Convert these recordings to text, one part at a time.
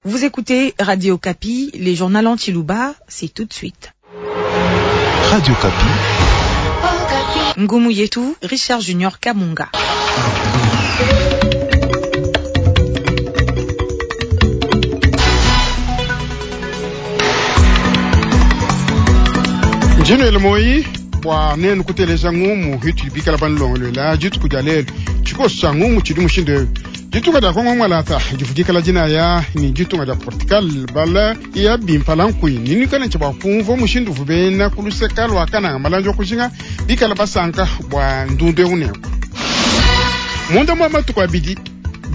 Vous écoutez Radio Okapi, les journaux en tshiluba, c'est tout de suite. Radio Okapi. Ngumu yetu, Richard Junior Kamunga. Njinwele moyi bua nenu kuteleja ngumu itudi bikala banulongoluela dituku dia lelu. Tshikoso tshia ngumu tshidi mushindu eu. Ditunga dia Kongo Mwalata divu dikala dinaya ne ditunga dia Portugal bala ya bimpala nkui ninuikale ntshia bua kumvua mushindu uvu bena ku luseka lua Kananga malandi wa kujinga bikala basanka bua ndundu eu nenku. Munda mua matuku abidi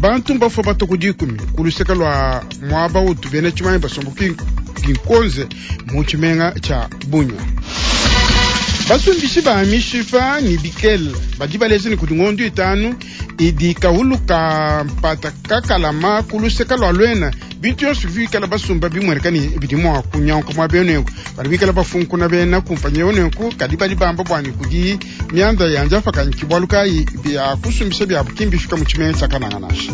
bantu mbafua batua ku dikumi ku luseka lua muaba utu bena tshimanyi basomba Kinkonze mu tshimenga tshia Bunia. Basumbishi ba mishipa ne bikele badi baleja ne kudi ngondo itanu idi kahulu ka mpata kakalama ku luseka lua Luena. Bintu yonso bikala basumba bimueneka ne bidi mua kunyanguka muaba eu nenku badi bikala bafunkuna bena kumpanyi eu nenku, kadi badi bamba bua ne kudi mianda ya njafaka ki bualu kayi bia kusumbisha biabu ki mbifika mu tshimenga tshia Kananga nansha.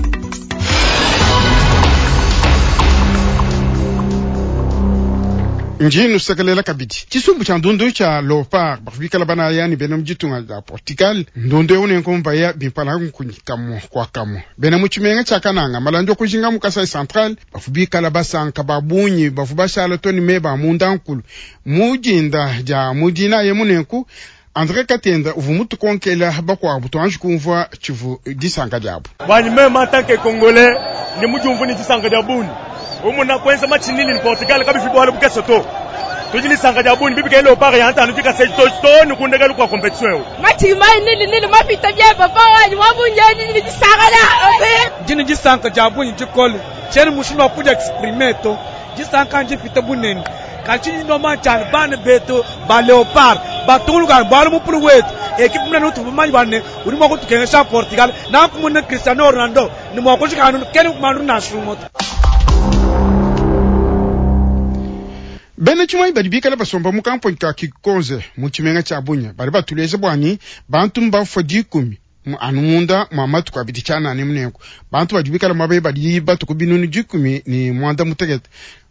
Ndi nusekelela kabidi tshisumbu tshia ndundu tshia Leopard bavua bikala banaya ne bena mu ditunga dia Portugal. Ndundu eu nenku mbaya bimpala nkunyi kamue kua kamue. Bena mu tshimenga tshia Kananga malandi wa kujinga mu Kasai Central bavua bikala basanka ba bungi bavua bashala to ne meba a munda nkulu mu dinda dia mu dinayi emu nenku Andre Katenda uvua mutukonkela bakuabu tuanji kumvua tshivu disanka diabu. Buanyi meme en tant que congolais ndi mudiumvue ne disanka dia bungi umuna kuenza match nili ne Portugal kabifi bualu bukese to. Tudi ne disanka dia bungi bibi ke Leopard ya ntanu dikase to to ne ku ndekelu kua competition eu. Match mai nili nili mapita bia papa wanyi wa bungi ndi ne disanka dia. Ndi ne disanka dia bungi dikole tshiena mushindu wa kudia exprimer to. Disanka ndipite bunene. Kadi tshidi normal tshia bana betu ba Leopard batungunuka bualu mupulu wetu ekipe munene utuvua bamanye bua ne udi mua kutukengesha Portugal nanku mune Cristiano Ronaldo ne mua kujika anu kena kumandu nansha umue to. Bena tshimuanyi badi bikale basomba mu kamponyi ka Kikonze mu tshimenga tshia Bunia badi batuleja bua ne bantu mbafua dikumi anu munda mua matuku abidi tshianana emu. Nenku bantu badi bikale muaba eu badi batue ku binunu 15.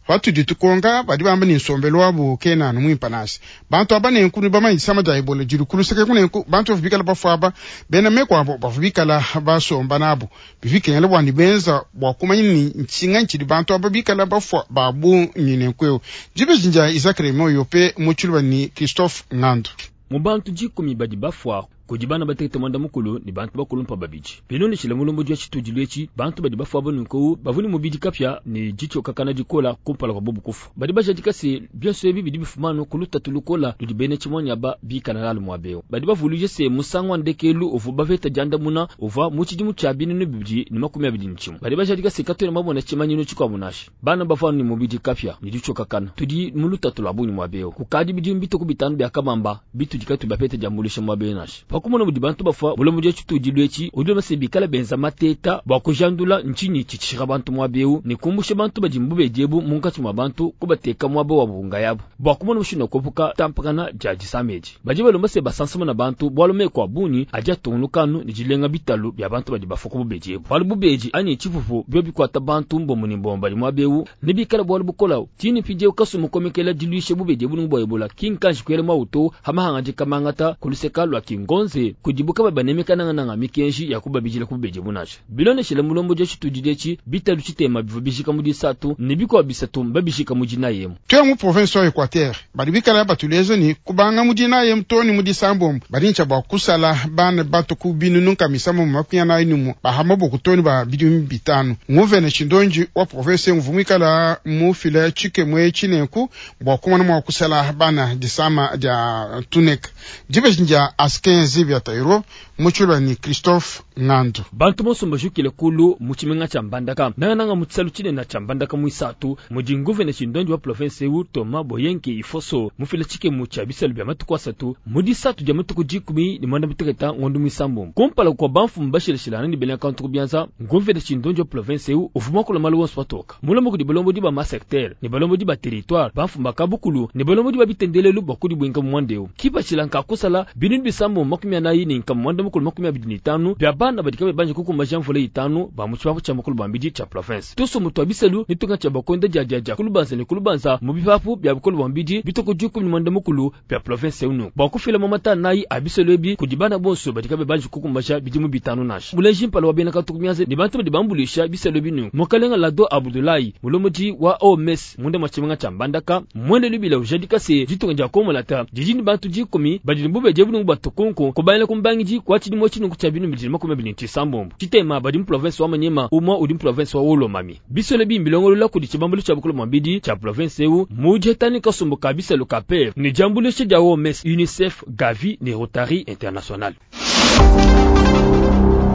Patudi tukonka badi bamba ne nsombelu wabu kena anu muimpe nansha. Bantu aba nenku nudi bamanye disama dia Ebola didi ku luseke eku nenku bantu bavua bikale bafua aba bena meku abo bavua bikala basomba nabu. Bivua bikengela bua ne benza bua kumanya ne ntshinganyi tshidi bantu aba bikala bafua ba bungi nenku eu. Dibeji ndia Isaac Raymond Yope mu tshiluba ne Christophe Ngandu. Mu bantu dikumi badi bafua kudi bana batekete muanda-mukulu ne bantu bakulumpa babidi. Bilondeshile mulombodi wa tshitudilu etshi, bantu badi bafua aba nunku bavua ne mubidi kapia ne ditshiokakana dikola kumpala kua bobu kufua. Badi bajadika se, bionso ebi bidi bifuma anu ku lutatu lukola ludi bena tshimuanyi aba bikala nalu muaba eu. Badi bavuluija se, musangu wa ndekelu uvua bapeta diandamuna uvua mu tshidimu tshia 2021. Badi bajadika se, katuena bamona tshimanyinu tshikuabu nansha. Bana bavua ne mubidi kapia ne ditshiokakana. Tudi mu lutatu lua bungi muaba eu. Kukadi bidimu bitue ku bitanu bia kabamba bitudi katuyi bapete diambuluisha muaba eu nansha. Pa kumona mudi bantu bafua, mulombodi wa tshitudilu etshi udi ulomba se bikale benza mateta bua kujandula ntshinyi tshitshishika bantu muaba eu ne kumbusha bantu badi mu bubedi ebu munkatshi mua bantu, kubateka muaba wabu nkayabu bua kumona mushindu wa kuepuka ditampakana dia disama edi. Badi balomba se basansamuna bantu bualu meku a bungi adi atungunuka anu ne dilenga bitalu bia bantu badi bafua ku bubedi ebu. Bualu bubedi anyi tshipupu biobi bikuata bantu mbombo ne mbombo badi muaba eu, nebikale bualu bukola. Tshine mpindieu kasumu komekela diluisha bubedi ebu bua Ebola ki nkanji kuela muawu to ha mahangadika mangata ku luseka lua Kingonze kudibu kabayi banemeka nangananga mikenji ya kubabidila ku bubedi ebu nansha. Bilondeshile mulombodi wa tshitudilu etshi, bitalu tshitema bivua bijika mu disatu ne bikuabu bisatu mbabijika mu dinayi emu. Tuya mu province wa Equateur, badi bikala batuleja ne kubanga mu dinayi emu too ne mu disambombo badi ne tshia bua kusala bana batu ku binunu nkama isambombo makumi anayi ne umue ba ha maboko too ne ba bidimu bitanu. Nguvene Tshindonji wa province eu uvua muikala mufila tshikemu etshi nenku bua kumona mua kusala bana disama dia tuneka. Dibeji ndia Askin Zibia Tairo mu tshiluba ne Christophe Ngandu. Bantu bonso mbajukile kulu mu tshimenga tshia Mbandaka, nangananga mu tshisalu tshinene tshia Mbandaka muisatu, mudi nguvene tshindondi wa province eu Thomas Boyenke Ifoso mufila tshikemu tshia bisalu bia matuku asatu mu disatu dia matuku dikumi ne muanda muteketa ngondo muisambombo. Kumpala kua bamfumu bashilashilangane ne bena kantu ku bianza, nguvene tshindondi wa province eu uvua muakula malu onso patoka. Mulomba kudi balombodi ba ma-secteur ne balombodi ba territoire, bamfumu ba kabukulu ne balombodi ba bitendelelu bua kudibuinka mu muanda eu. Kipatshila nka kusala binunu bisambombo makumi anayi ne nkama muanda mukulu makumi abidi ne itanu bia bana. bana badi kabayi banji kukumbaja mvula itanu ba mu tshipapu tshia bukole bua mubidi tshia province. Tusumbu tua biselu ne tunga tshia bakonda diadiadia ku lubanza ne ku lubanza mu bipapu bia bukole bua mubidi bitue ku 15 bia province eu nunku bua kufila mamata anayi a biselu ebi kudi bana bonso badi kabayi banji kukumbaja bidimu bitanu nansha. Muleji mpala wa bena katuku mianza ne bantu badi bambuluisha biselu ebi nunku Mukalenga Lado Abudulayi, mulombodi wa OMS munda mua tshimenga tshia Mbandaka, mmuele lubila ujadika se ditunga dia Kongo-Malata didi ne bantu dikumi badi ne bubedi ebu nunku bua tukunku kubangila ku mbangidi kua tshidimu etshi nunku tshia 2026. Tshitema badi mu province wa Maniema, umua udi mu province wa Haut-Lomami. Biselu ebi mbilongolola kudi tshibambalu tshia bukole bua mubidi tshia province eu mu dieta ne kasumbu ka biselu ka PEV ne diambuluisha dia OMS, UNICEF, Gavi ne Rotary International.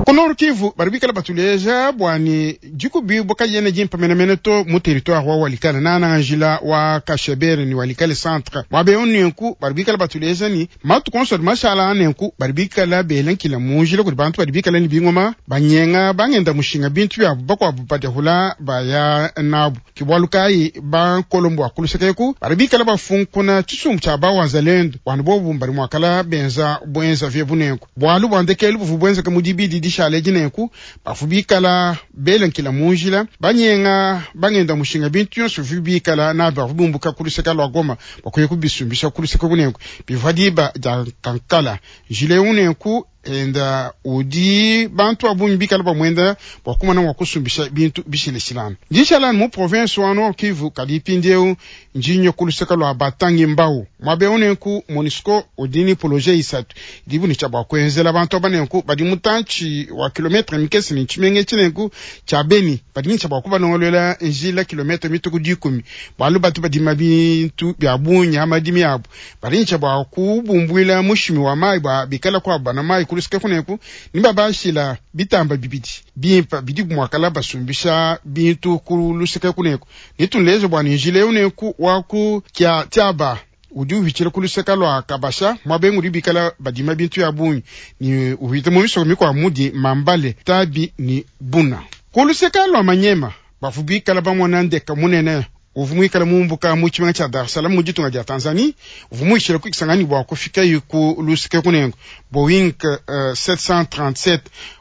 Ku Nord Kivu badi bikala batuleja bua ne dikubibua kadiena dimpe menemene to mu territoire wa Walikale nananga njila wa Kashebere ne Walikale centre. Muaba eu nenku badi bikala batuleja ne matuku onso adi mashala nenku badi bikala bela nkila mu njila kudi bantu badi bikala ne bingoma banyenga bangenda mushinga bintu biabu bakuabu badiahula baya nabu. Ke bualu kayi bankolombo wa kuluseka eku badi bikala bafunkuna tshisumbu tshia ba wazalendo bualu bobu badi muakala benza buenza viebu nenku. Bualu bua ndekelu buvua buenzeka mu dibidi dishale edi nenku bavua bikala bela nkila mu njila banyenga bangenda mushinga bintu bionso bivua bikala nabi bavua bumbuka ku luseka lua Goma bua kuya kubisumbisha ku luseka kunenku bivua diba dia kankala njila eu nenku enda udi bantu ba bungi bikala bamuenda bua kumona mua kusumbisha bintu bishilashilangane. Ndi nshala mu province wa Nord Kivu, kadi mpindieu ndi nya ku luseke lua batangi mbau. Muaba eu nenku MONUSCO udi ne projet isatu idibu ne tshia bua kuenzela bantu aba nenku badi mutantshi wa kilometre mikese ne tshimenga etshi nenku tshia Beni badi ne tshia bua kubalongoluela njila kilometre mitue ku dikumi bualu batu badima bintu bia bungi ha madimi abu badi ne tshia bua kubumbuila mushimi wa mayi bua bikala kuabu bana mayi ku luseke kuneku ne babashila bitamba bibidi bimpe bidi muakala basumbisha bintu ku luseke kuneku ne tunleje bua ne njila eu neku wa ku kia tiaba udi uhitshila ku luseke lua Kabasha muaba udi bikala badima bintu ya bungi ne uhita mu misoko mikuabu mudi Mambale, Tabi ne Buna. Ku luseke lua Manyema bavua bikala bamona ndeka munene uvua muikale mumbuka mu tshimenga tshia Dar es Salaam mu ditunga dia Tanzanie uvua muishile ku Kisangani bua kufikaye ku luseke kunengo Boeing 737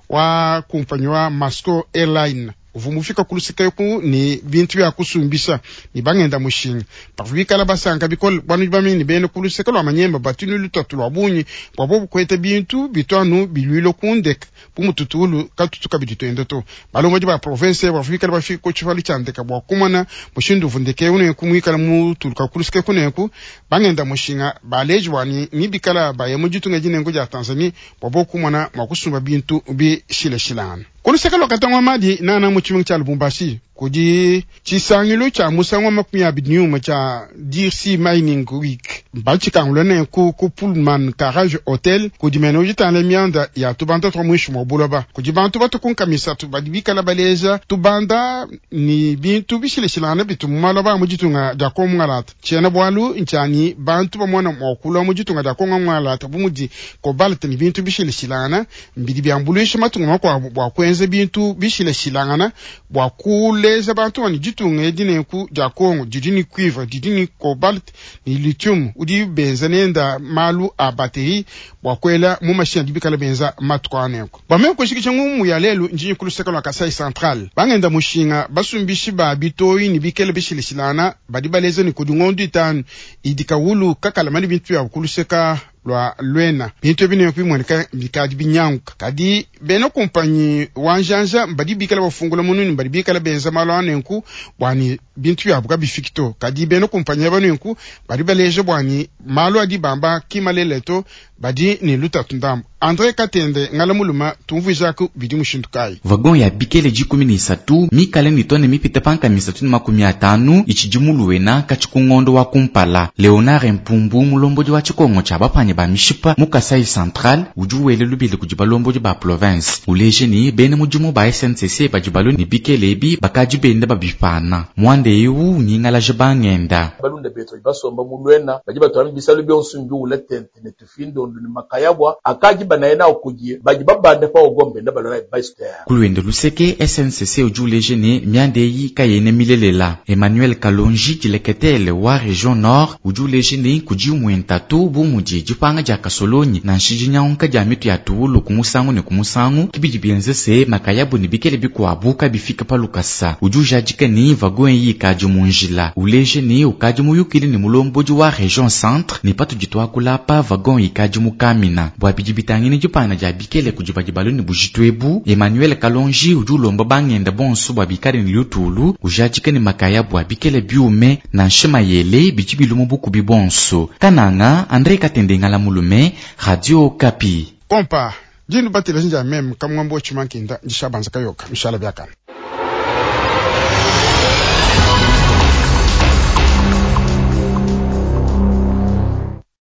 wa kumpanyi wa Masco Airline uvua mufika ku luseke ku ne bintu bia kusumbisha ne bangenda mushinga bavua bikala basanka bikole bualu bamanye ne bena ku luseke lua Manyema batu ne lutatu lua bungi bua bobu kueta bintu bitu anu biluile ku ndeka bu mututulu katutu kabidi tuenda to. Balombodi ba province bavua bikala bafika ku tshipalu tshia ndeka bua kumona mushindu uvua ndeka eu nenku muikala mutuluka ku luseke kunenku bangenda mushinga baleji bua ne ni bikala baya mu ditunga dinenku dia Tanzanie bua bobu kumona mua kusumba bintu bishilashilangane. Ku luseke lua Katanga Madi nana mu tshimenga tshia Lubumbashi kudi tshisangilu tshia musangu wa 21 tshia DRC Mining Week batshikangula nenku ku Pullman Garage Hotel kudi mene udi mianda ya tubanda twa muinshi mua buloba kudi bantu batu ku nkamisatu badi bikala baleja tubanda ni bintu bishilashilangane bitu mu maloba mu ditunga dia Kongo Ngalata tshiena bualu ntshiani bantu bamona mua kulua mu ditunga dia Kongo Ngalata bu mudi cobalt ni bintu bishilashilangana mbidi biambuluisha matunga makuabu bua kuenza bintu bishilashilangana bua kuleja bantu bani ditunga edi nenku dia Kongo didi ni cuivre didi ni cobalt ni lithium udi benza nenda malu a batterie bua kuela mu mashina adi bikala benza matuku a nenku bameme kushikisha ngumu ya lelu njinyi ku luseke lua Kasai Central bangenda mushinga basumbishi ba bitoyi ni bikele bishilashilana badi baleza ni kudi ngondu itanu idi kawulu kakala mani bintu bya ku luseka lua Luena bintu ebi nenku bimueneka bikadi binyanguka kadi bena kumpanyi wa njanja badi bikala bafungula mununi badi bikala benza malu a nenku bua ne bintu biabu kabifiki to kadi bena kumpanyi aba nenku badi baleja bua ne malu adi bamba kimalele to badi ne lutatu ndambu. Andre Katende ngala muluma tumvuijaku bidi mushindu kayi. Wagon ya bikele 13 mikale ni tone mipite panka 350 ichidi muluwena kachikungondo wa kumpala. Leonard Mpumbu mulombodi wa chikongo cha bapanye ba mishipa mu Kasai Central udi wele lubili kudi balombodi ba province uleje ni bene mudimu ba SNCC badi balo ni bikele ebi bakadi bende babipana mwande eu nyingalaje bangenda balunda betu basomba mulwena badi batwala bisalu byonso mbiwula tente ne tufindo mabundu ne makayabwa akadi banaye nawu kudi badi babanda pa wagon benda balwa nayi base terre. Ku luende luseke, SNCC udi uleja ne, mianda eyi kayena milelela. Emmanuel Kalonji, dileketele wa Region Nord, udi uleja ne, kudi imue ntatu bu mudi dipanga dia kasolonyi nansha dinyanguka dia mitu ya tuwulu ku musangu ne ku musangu, ke bidi bienza se makayabu ne bikele bikuabu kabifika pa lukasa. Udi ujadika ne, wagon eyi ikadi mu njila. Uleja ne, ukadi muyukile ne mulombodi wa Region Centre ne patudi tuakula apa wagon ikadi mu Kamina. Bua bidi bitangila dipanga dia bikele kudi badi balue ne bujitu ebu, Emmanuel Kalonji udi ulomba bangenda bonso bua bikale ne lutulu, ujadika ne makayabu a bikele biume nansha mayele bidi biluma bukubi bonso. Kananga, André Katende Ngala Mulume, Radio Okapi. Kompa, dinu bateleji ndia meme kamwambo chimankinda ndishabanza kayoka mishala biakana.